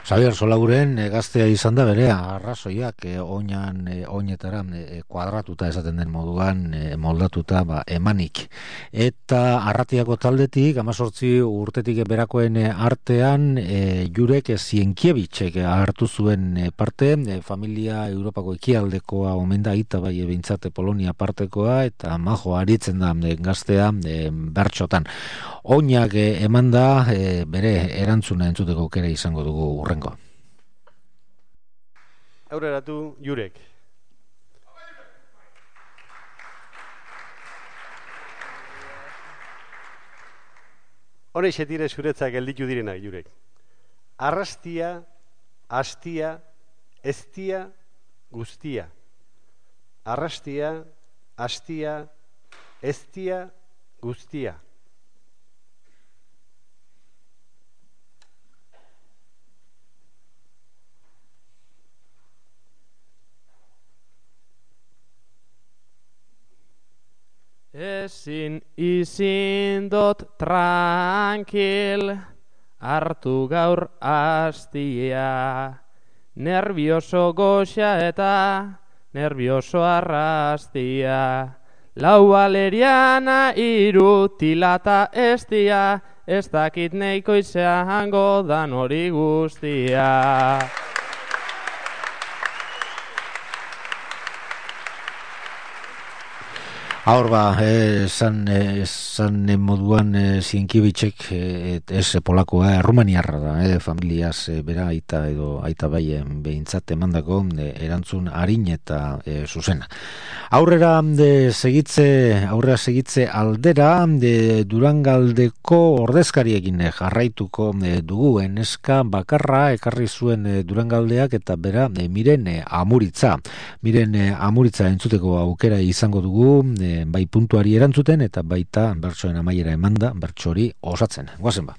Xabier Solaguren e, gaztea izan da bere arrazoiak e, oinan e, oinetara e, kuadratuta esaten den moduan e, moldatuta ba, emanik. Eta arratiako taldetik, amazortzi urtetik berakoen artean e, Jurek Zienkiewicz hartu zuen e, parte, e, familia Europako ekialdekoa omen da, ita bai ebintzate Polonia partekoa, eta majo aritzen da e, gaztea e, bertxotan. Oinak e, eman da e, bere erantzuna entzuteko aukera izango dugu urrengo. Aurreratu Jurek. Honexe dire zuretzak gelditu direnak, jurek. Arrastia, astia, eztia, guztia. Arrastia, astia, eztia, guztia. Ezin izin dot tranquil, hartu gaur astia, nervioso goxa eta nervioso arrastia, lau valeriana iru tilata estia, ez dakit neiko izango dan hori guztia. Ahor ba, esan eh, moduan eh, Sienkiewicz-ek eh, ez polakoa, Rumaniarra da, eh, familiaz eh, bera aita edo aita baien behintzat emandako eh, erantzun arin eta eh, zuzena. Aurrera de segitze, aurrera segitze aldera de Durangaldeko ordezkariekin eh, jarraituko eh, dugu eneska bakarra ekarri zuen eh, Durangaldeak eta bera eh, Miren eh, Amuritza. Miren eh, Amuritza entzuteko aukera izango dugu eh, bai puntuari erantzuten eta baita bertsoen amaiera emanda bertsori osatzen. Goazen ba.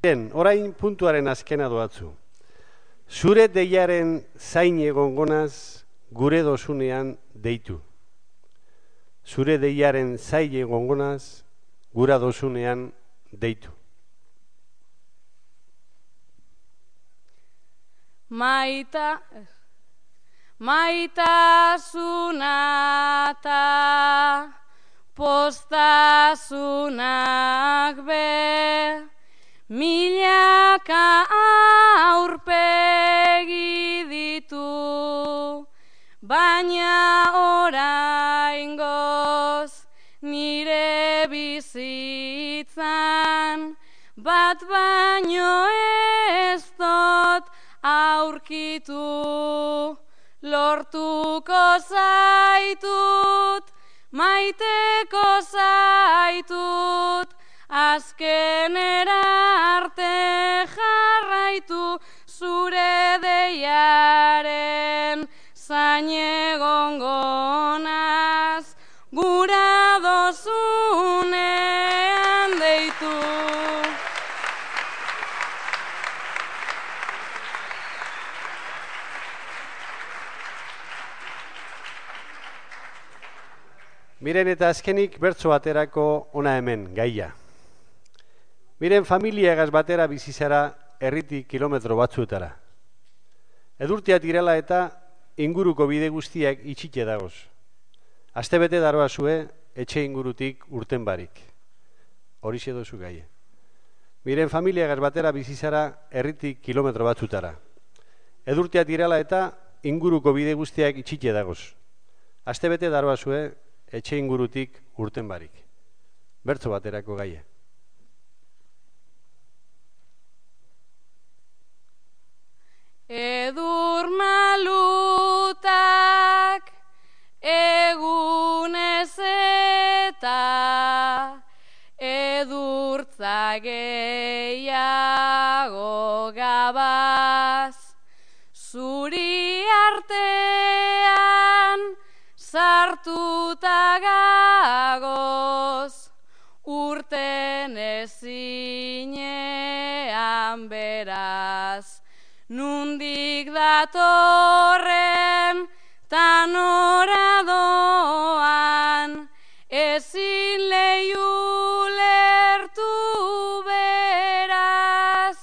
Bien, orain puntuaren azkena doatzu. Zure deiaren zain egongonaz gure dosunean deitu. Zure deiaren zain egongonaz gura dosunean deitu. Maita... Maitasuna ta postasunak be, milaka aurpegi ditu, baina oraingoz nire bizitzan, bat baino ez dut aurkitu. Lortuko zaitut, maiteko zaitut, azkenera arte jarraitu, zure deiaren zain egongonaz, gura dozunean deitu. Miren eta azkenik bertso baterako ona hemen, gaia. Miren familiagaz batera bizizara herritik kilometro batzuetara. Edurtia tirela eta inguruko bide guztiak itxite dagoz. Astebete daroa zue etxe ingurutik urten barik. Horixe dozu gaia. Miren familiagaz batera bizizara herritik kilometro batzuetara. Edurtia tirela eta inguruko bide guztiak itxite dagoz. Astebete daroa zue etxe ingurutik urten barik. Bertso baterako gaia. Edur malutak egunez eta edurtza gehiago gabaz, zuri artean sartuta gagoz, urten ezinean beraz, nundik datorren tan oradoan, ezin lehiu lertu beraz,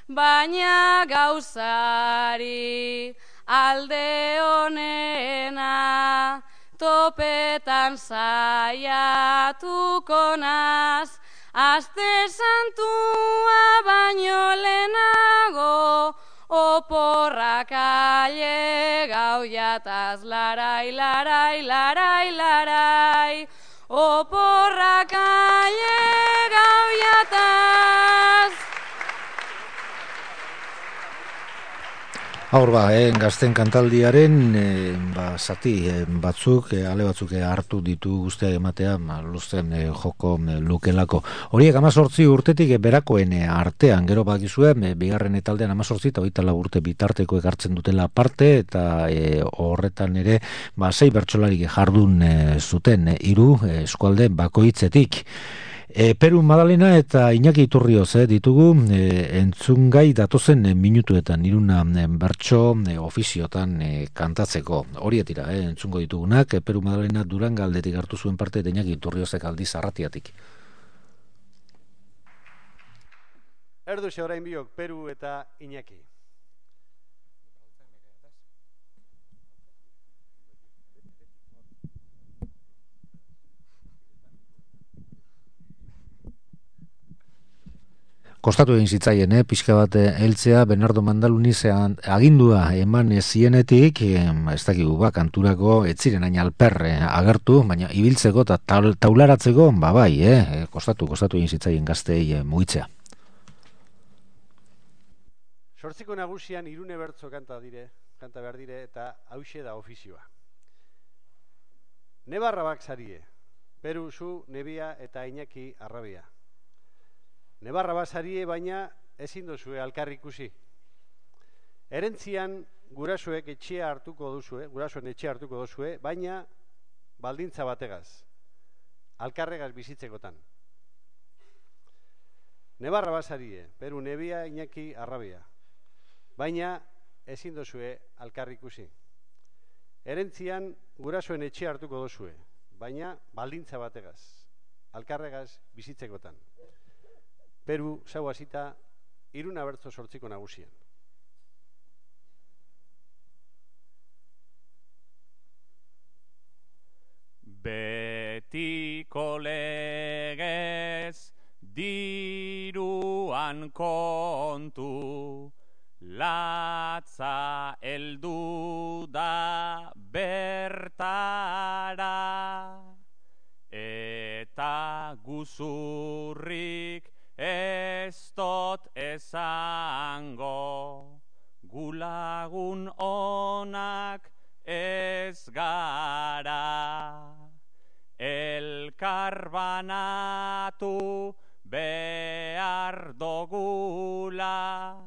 baina gauzari alde honena, topetan saiatuko naz, aste santua baino lehenago, oporrak aile gau jataz, larai, larai, larai, larai, oporrak aile gau jataz. Aur ba, eh, gazten kantaldiaren eh, ba, zati eh, batzuk, eh, ale batzuk eh, hartu ditu guztia ematea, ma, luzten eh, joko eh, lukelako. Horiek amazortzi urtetik eh, berakoen eh, artean, gero bakizue, eh, bigarren etaldean amazortzi eta hogeita lau urte bitarteko ekartzen dutela parte, eta eh, horretan ere, ba, sei bertsolarik jardun eh, zuten, eh, hiru eh, eskualde bakoitzetik. E, Peru Madalena eta Iñaki Iturrioz eh, ditugu e, entzungai datozen e, minutuetan iruna e, bertso e, ofiziotan e, kantatzeko. Horietira, e, entzungo ditugunak, e, Peru Madalena Duranga aldetik hartu zuen parte eta Iñaki Iturriozek aldiz Arratiatik. Erduxe orain biok, Peru eta Iñaki. Kostatu egin zitzaien, eh, pixka bat heltzea Bernardo Mandalunizean agindua eman zienetik, eh, ez dakigu ba, kanturako ez ziren hain alper eh, agertu, baina ibiltzeko eta taularatzeko, ba bai, eh, kostatu, kostatu egin zitzaien gazteei eh, mugitzea. Sortziko nagusian irune bertso kanta dire, kanta behar dire, eta hauxe da ofizioa. Nebarra bak zarie, Peru zu, Nebia eta Iñaki Arrabia. Nebarra basarie baina ezin duzue alkarri ikusi. Erentzian gurasoek etxea hartuko duzue, gurasoen etxea hartuko duzue, baina baldintza bategaz, alkarregaz bizitzekotan. Nebarra basarie, Peru Nebia Iñaki Arrabia, baina ezin duzue alkarri ikusi. Erentzian gurasoen etxea hartuko duzue, baina baldintza bategaz, alkarregaz bizitzekotan. Peru, zau hasita, iruna bertso sortziko nagusian. Betiko legez diruan kontu, latza heldu da bertara, eta guzurrik ez dot esango, gulagun onak ez gara. Elkar banatu behar dogula,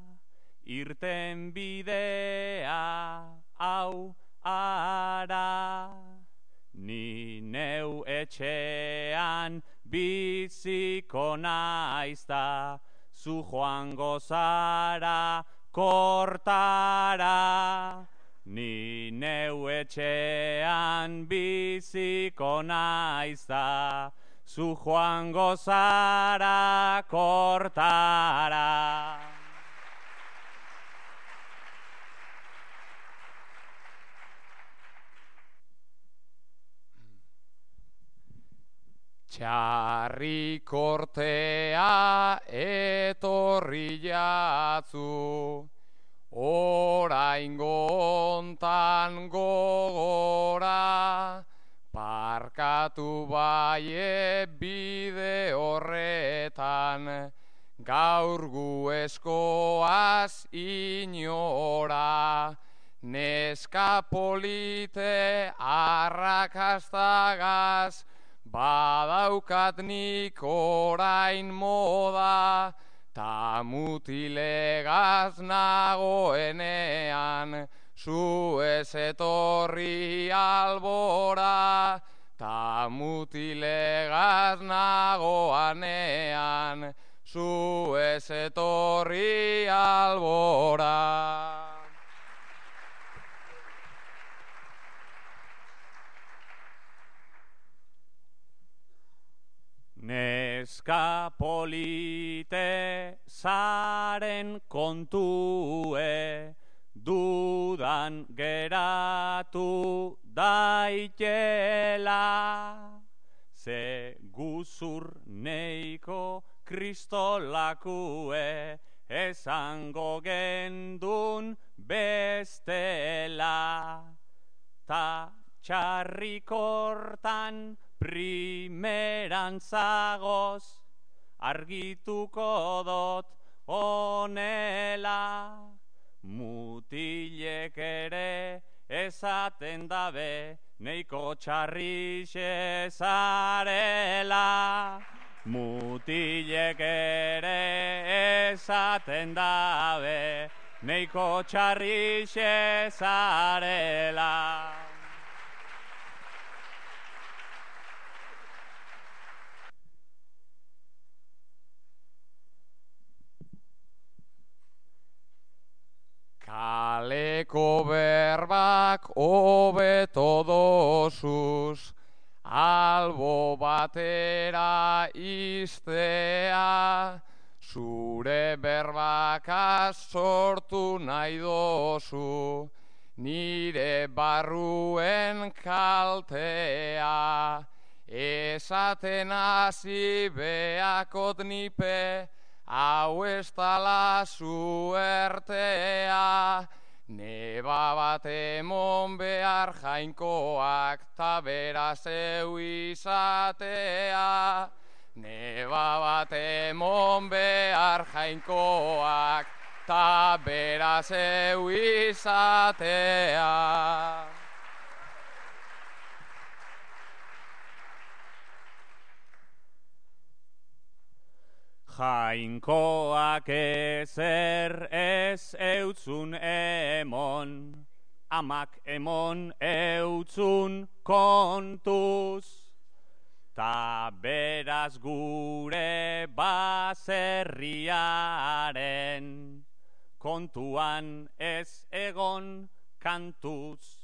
irten bidea hau ara. Ni neu etxean biziko naizta, zu joango zara kortara. Ni neu etxean biziko naizta, zu joango zara kortara. Txarri kortea etorri jatzu, oraingo hontan gogora, parkatu baie bide horretan, gaur gu eskoaz inora, neska polite arrakastagaz, badaukat nik orain moda, ta mutilegaz nagoenean, zu ez etorri albora. Ta mutilegaz nagoanean, zu ez etorri albora. Neska polite zaren kontue, dudan geratu daitela. Ze guzur neiko kristolakue, esango gendun bestela. Ta txarrikortan primeran zagoz, argituko dot onela, mutilek ere esaten dabe, neiko txarrixe zarela. Mutilek ere esaten dabe, neiko txarrixe zarela. Kaleko berbak hobeto dosuz, albo batera iztea, zure berbakaz sortu nahi dozu, nire barruen kaltea. Esaten hasi beakot nipe, hau ez dala suertea. Neba bat emon behar jainkoak, ta beraz eu izatea. Neba bat emon behar jainkoak, ta beraz eu izatea. Jainkoak ezer ez eutzun emon, amak emon eutzun kontuz, ta beraz gure baserriaren kontuan ez egon kantuz.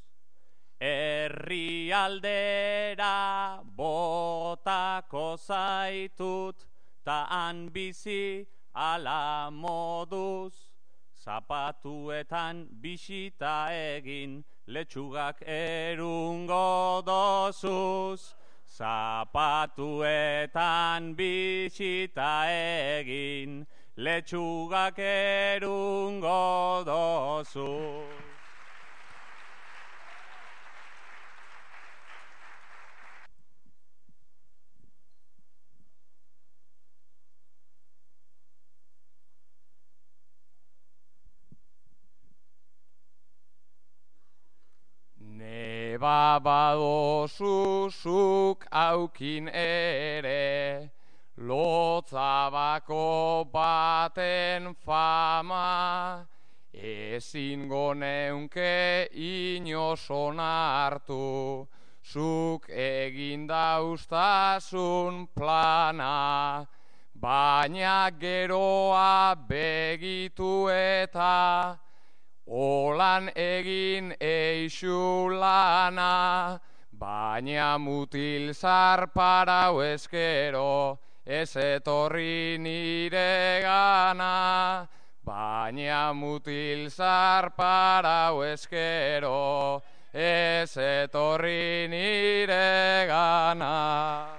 Herrialdera botako zaitut, ta han bizi ala moduz, zapatuetan bisita egin, letxugak erungo dozuz. Zapatuetan bisita egin, letxugak erungo dozuz. Neba badozuzuk aukin ere, lotzabako baten fama, ezingo neunke inoson hartu, zuk egin dauztasun plana, baina geroa begitu eta olan egin eixu lana, baina mutil zarparau eskero, ez etorri nire gana. Baina mutil zarparau eskero, ez etorri nire gana.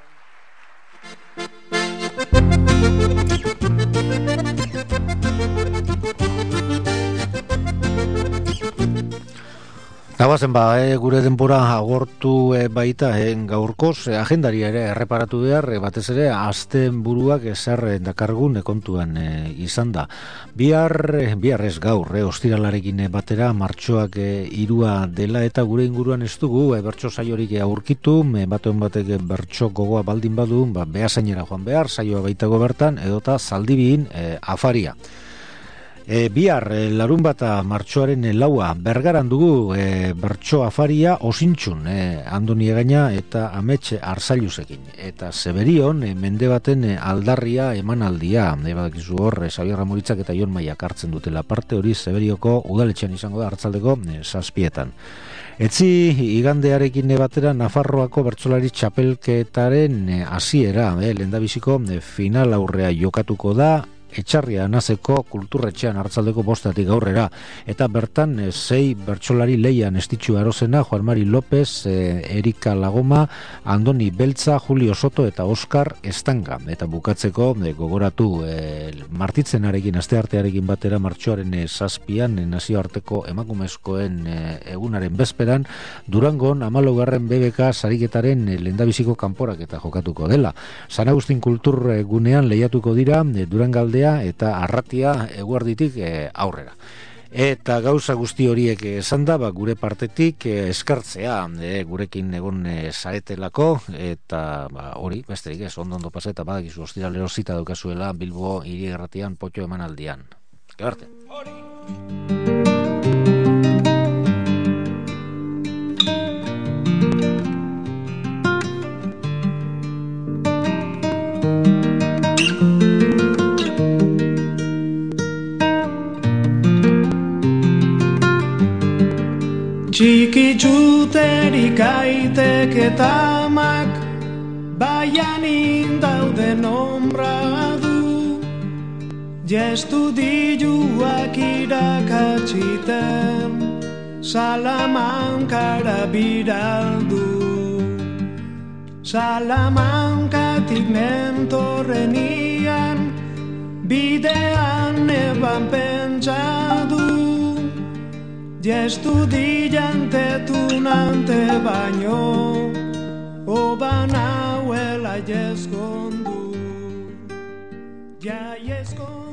Nabazen ba, e, gure denbora agortu e, baita e, gaurkoz, e, agendari ere erreparatu behar, e, batez ere azten buruak ezer dakargun e, kontuan e, izan da. Bihar, e, bihar ez gaur, e, ostiralarekin e, batera martxoak e, irua dela eta gure inguruan ez dugu e, bertso saiorik e, aurkitu, e, batuen batek e, bertso gogoa baldin badu, ba, behasainera joan behar, saioa baitago bertan, edota zaldibin e, afaria. E, bihar, e, larun bata martxoaren e, laua, Bergaran dugu e, bertso afaria osintxun, e, Andoni Egaina eta Ametxe Arzailuzekin. Eta Zeberion, e, mende baten e, aldarria emanaldia, e, badakizu hor, e, Xabier Ramuritzak eta Jon Maiak hartzen dutela parte, hori Zeberioko udaletxean izango da hartzaldeko e, zazpietan. Etzi igandearekin batera Nafarroako bertsolari txapelketaren e, hasiera, e, lehendabiziko e, final aurrea jokatuko da, Etxarria Nazeko kulturretxean hartzaldeko bostatik aurrera, eta bertan e, sei bertsolari leian estitxu arozena, Juan Mari López, e, Erika Lagoma, Andoni Beltza, Julio Soto eta Oskar Estanga. Eta bukatzeko e, gogoratu e, martitzenarekin, asteartearekin batera martxoaren e, zazpian, e, nazioarteko emakumezkoen e, egunaren bezperan, Durangon hamalaugarren B B K sariketaren e, lehendabiziko kanporak eta jokatuko dela. San Agustin kultur gunean lehiatuko dira e, Durangaldea eta Arratia eguerditik e, aurrera. Eta gauza guzti horiek esan da, ba, gure partetik eh, eskartzea eh, gurekin egon eh, zaretelako, eta ba, hori, besterik ez, ondo ondo pasa, eta badakizu ostiralero zita daukazuela Bilbo hiri erratian potxo emanaldian. Gero arte. Txiki txuterik aitek eta amak, baian indauden ombra du, jestu diluak irakatsiten, Salamankara biraldu. Salamankatik nentorrenian, bidean eban pentsadu, jestu dilantetunante baino, oban hauela jeskondu, ja jeskondu.